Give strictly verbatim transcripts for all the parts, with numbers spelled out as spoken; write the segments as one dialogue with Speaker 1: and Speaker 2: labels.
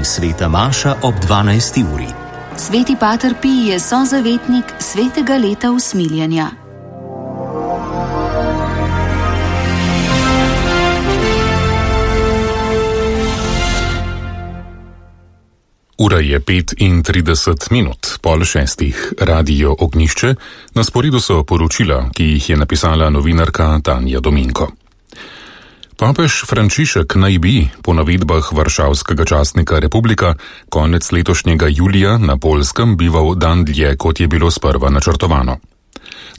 Speaker 1: Sveta maša ob dvanajsti uri.
Speaker 2: Sveti pater Pij je sozavetnik svetega leta usmiljenja.
Speaker 3: Ura je pet in trideset minut, pol šestih. Radio Ognjišče. Na sporedu so poročila, ki jih je napisala novinarka Tanja Dominko. Papež Frančišek naj bi, po navedbah varšavskega časnika Republika, konec letošnjega julija na Poljskem bival dan dlje, kot je bilo sprva načrtovano.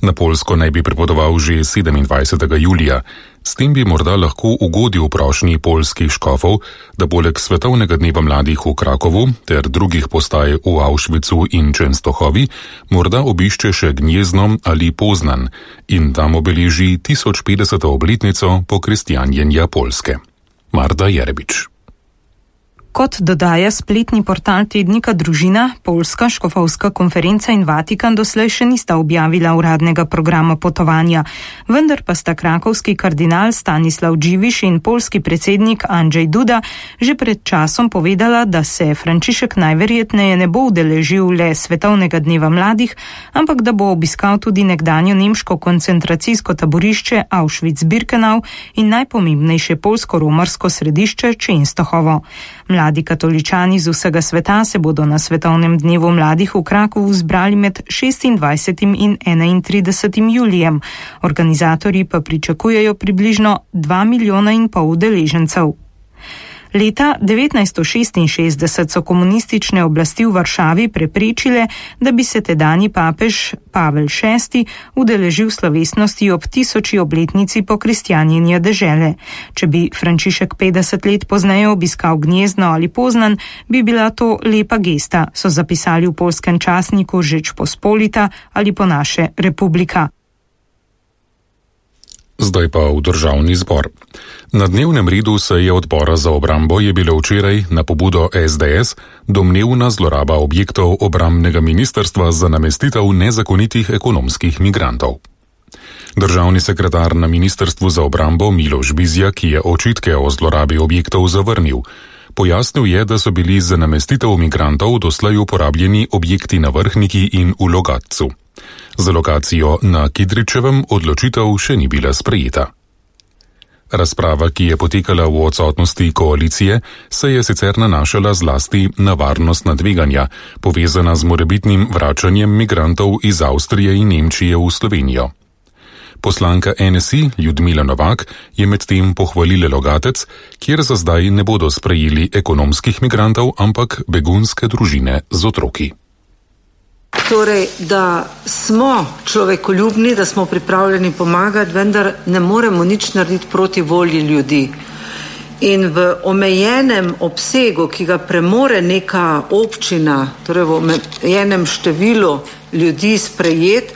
Speaker 3: Na Poljsko naj bi pripotoval že sedemindvajsetega julija. S tem bi morda lahko ugodil prošnji poljskih škofov, da poleg svetovnega dneva mladih v Krakovu ter drugih postaj v Auschwitzu in Čenstohovi morda obišče še Gnjezno ali Poznan in tam obeleži tisoč petdeseto obletnico pokristjanjenja Poljske. Marta Jerebič.
Speaker 4: Kot dodaja spletni portal tednika Družina, Poljska škofovska konferenca in Vatikan doslej še nista objavila uradnega programa potovanja, vendar pa sta krakovski kardinal Stanislav Dživiš in poljski predsednik Andrzej Duda že pred časom povedala, da se Frančišek najverjetneje ne bo udeležil le svetovnega dneva mladih, ampak da bo obiskal tudi nekdanjo nemško koncentracijsko taborišče Auschwitz-Birkenau in najpomembnejše poljsko-romarsko središče Čenstohovo. Mladi katoličani z vsega sveta se bodo na svetovnem dnevu mladih v Krakovu zbrali med šestindvajsetim in enaintridesetim julijem. Organizatorji pa pričakujejo približno dva milijona in pol udeležencev. Leta devetnajststo šestinšestdeset so komunistične oblasti v Varšavi preprečile, da bi se tedanji papež Pavel šesti udeležil slovesnosti ob tisoči obletnici pokristjanjenja dežele. Če bi Frančišek petdeset let pozneje obiskal Gnjezno ali Poznan, bi bila to lepa gesta, so zapisali v poljskem časniku Žečpospolita ali po naše Republika.
Speaker 3: Zdaj pa v državni zbor. Na dnevnem redu seje odbora za obrambo je bilo včeraj na pobudo es de es domnevna zloraba objektov obrambnega ministrstva za namestitev nezakonitih ekonomskih migrantov. Državni sekretar na ministrstvu za obrambo Miloš Bizjak je očitke o zlorabi objektov zavrnil. Pojasnil je, da so bili za namestitev migrantov doslej uporabljeni objekti na Vrhniki in v Logatcu. Za lokacijo na Kidričevem odločitev še ni bila sprejeta. Razprava, ki je potekala v odsotnosti koalicije, se je sicer nanašala zlasti na varnostna tveganja, povezana z morebitnim vračanjem migrantov iz Avstrije in Nemčije v Slovenijo. Poslanka en es i Ljudmila Novak je medtem pohvalila Logatec, kjer za zdaj ne bodo sprejeli ekonomskih migrantov, ampak begunske družine z otroki.
Speaker 5: Torej, da smo človekoljubni, da smo pripravljeni pomagati, vendar ne moremo nič narediti proti volji ljudi. In v omejenem obsegu, ki ga premore neka občina, torej v omejenem številu ljudi sprejet,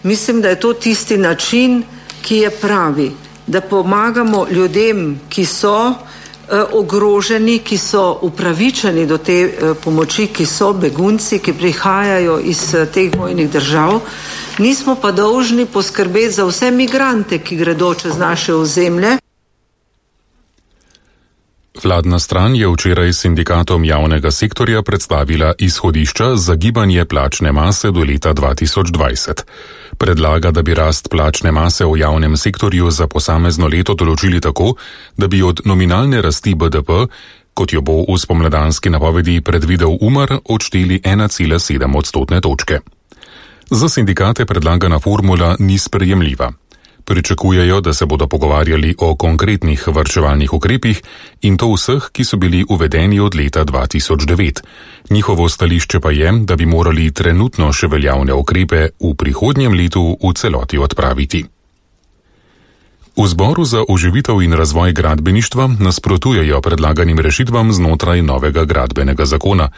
Speaker 5: mislim, da je to tisti način, ki je pravi, da pomagamo ljudem, ki so ogroženi, ki so upravičeni do te pomoči, ki so begunci, ki prihajajo iz teh vojnih držav. Nismo pa dolžni poskrbeti za vse migrante, ki gredo čez naše ozemlje.
Speaker 3: Vladna stran je včeraj sindikatom javnega sektorja predstavila izhodišča za gibanje plačne mase do leta dva tisoč dvajset. Predlaga, da bi rast plačne mase v javnem sektorju za posamezno leto določili tako, da bi od nominalne rasti be de pe, kot jo bo v spomladanski napovedi predvidel Umar, odšteli ena cela sedem odstotne točke. Za sindikate predlagana formula ni sprejemljiva. Pričakujejo, da se bodo pogovarjali o konkretnih varčevalnih ukrepih in to vseh, ki so bili uvedeni od leta dva tisoč devet. Njihovo stališče pa je, da bi morali trenutno še veljavne ukrepe v prihodnjem letu v celoti odpraviti. V Zboru za oživitev in razvoj gradbeništva nasprotujejo predlaganim rešitvam znotraj novega gradbenega zakona.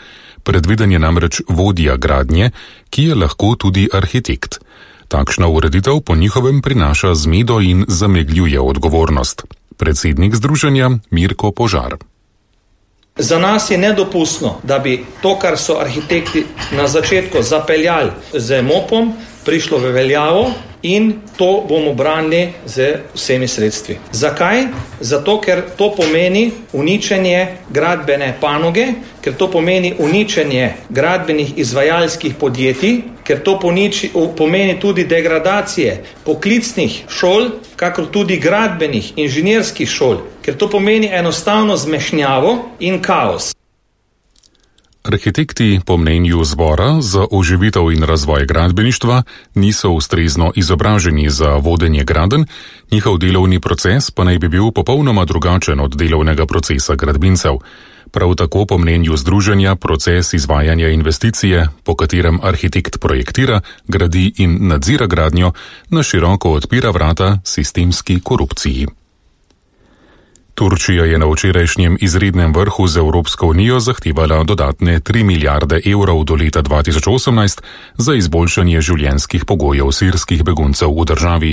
Speaker 3: Predviden je namreč vodja gradnje, ki je lahko tudi arhitekt. Takšna ureditev po njihovem prinaša zmedo in zamegljuje odgovornost. Predsednik združenja Mirko Požar.
Speaker 6: Za nas je nedopustno, da bi to, kar so arhitekti na začetku zapeljali z mopom, prišlo v veljavo in to bomo branili z vsemi sredstvi. Zakaj? Zato, ker to pomeni uničenje gradbene panoge, ker to pomeni uničenje gradbenih izvajalskih podjetij, ker to poniči, pomeni tudi degradacije poklicnih šol, kakor tudi gradbenih inženirskih šol, ker to pomeni enostavno zmešnjavo in kaos.
Speaker 3: Arhitekti po mnenju zbora za oživitev in razvoj gradbeništva niso ustrezno izobraženi za vodenje gradenj, njihov delovni proces pa naj bi bil popolnoma drugačen od delovnega procesa gradbincev. Prav tako po mnenju združenja proces izvajanja investicije, po katerem arhitekt projektira, gradi in nadzira gradnjo, na široko odpira vrata sistemski korupciji. Turčija je na včerajšnjem izrednem vrhu z Evropsko unijo zahtevala dodatne tri milijarde evrov do leta dva tisoč osemnajst za izboljšanje življenjskih pogojev sirskih beguncev v državi,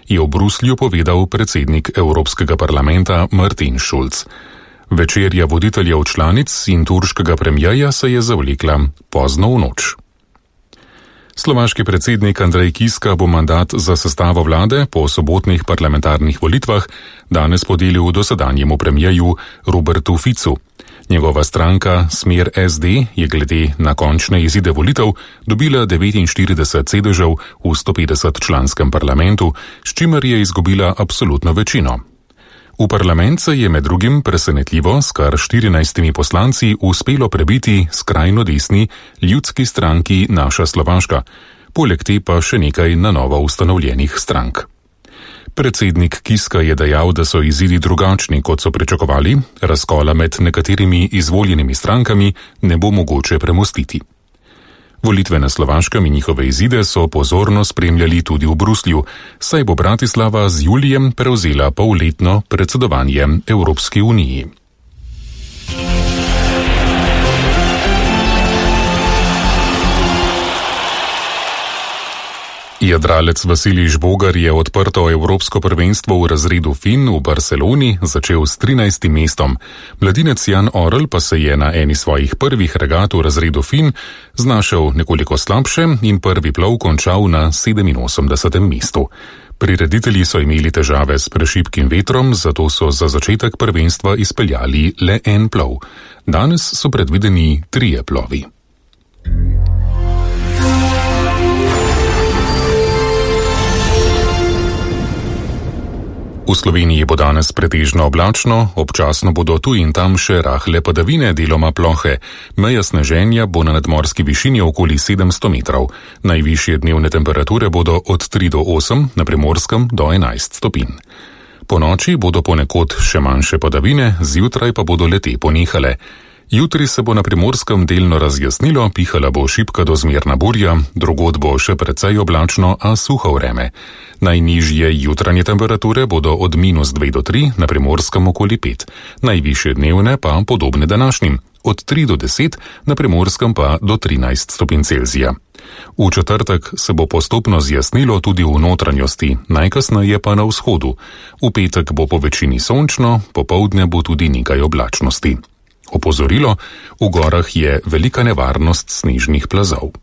Speaker 3: je v Bruslju povedal predsednik Evropskega parlamenta Martin Schulz. Večerja voditeljev članic in turškega premierja se je zavlekla pozno v noč. Slovaški predsednik Andrej Kiska bo mandat za sestavo vlade po sobotnih parlamentarnih volitvah danes podelil dosedanjemu premierju Robertu Ficu. Njegova stranka Smer S D je glede na končne izide volitev dobila devetinštirideset sedežev v sto petdeset članskem parlamentu, s čimer je izgubila absolutno večino. V parlament se je med drugim presenetljivo s kar štirinajstimi poslanci uspelo prebiti skrajno desni ljudski stranki Naša Slovaška, poleg te pa še nekaj na novo ustanovljenih strank. Predsednik Kiska je dejal, da so izidi drugačni, kot so pričakovali, razkola med nekaterimi izvoljenimi strankami ne bo mogoče premostiti. Volitve na Slovaškem in njihove izide so pozorno spremljali tudi v Bruslju, saj bo Bratislava z julijem prevzela polletno predsedovanje Evropski uniji. Jadralec Vasilij Žbogar je odprto evropsko prvenstvo v razredu Fin v Barceloni začel s trinajstim mestom. Mladinec Jan Orel pa se je na eni svojih prvih regat v razredu Fin znašel nekoliko slabše in prvi plov končal na sedeminosemdesetem mestu. Prireditelji so imeli težave s prešibkim vetrom, zato so za začetek prvenstva izpeljali le en plov. Danes so predvideni trije plovi. V Sloveniji bo danes pretežno oblačno, občasno bodo tu in tam še rahle padavine, deloma plohe. Meja sneženja bo na nadmorski višini okoli sedemsto metrov. Najvišje dnevne temperature bodo od tri do osem, na Primorskem do enajst stopinj. Po noči bodo ponekod še manjše padavine, zjutraj pa bodo le te ponehale. Jutri se bo na Primorskem delno razjasnilo, pihala bo šibka do zmerna burja, drugod bo še precej oblačno, a suho vreme. Najnižje jutranje temperature bodo od minus dve do tri, na Primorskem okoli pet. Najvišje dnevne pa podobne današnjim, od tri do deset, na Primorskem pa do trinajst stopinj Celzija. V četrtek se bo postopno zjasnilo tudi v notranjosti, najkasneje pa na vzhodu. V petek bo po večini sončno, popoldne bo tudi nekaj oblačnosti. Opozorilo, v gorah je velika nevarnost snežnih plazov.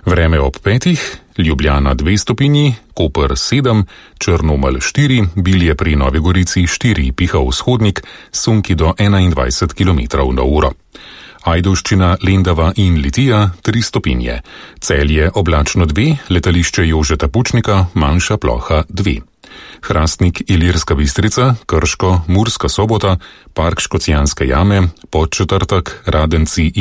Speaker 3: Vreme ob petih, Ljubljana dve stopinji, Koper sedem, Črnomelj štiri, Bilje pri Novi Gorici štiri, piha vzhodnik, sunki do enaindvajset kilometrov na uro. Ajdovščina, Lendava in Litija tri stopinje, Celje oblačno dve, letališče Jožeta Pučnika, manjša ploha dve. Hrastnik, Ilirska Bistrica, Krško, Murska Sobota, Park Škocjanske jame, Podčetrtek, Radenci in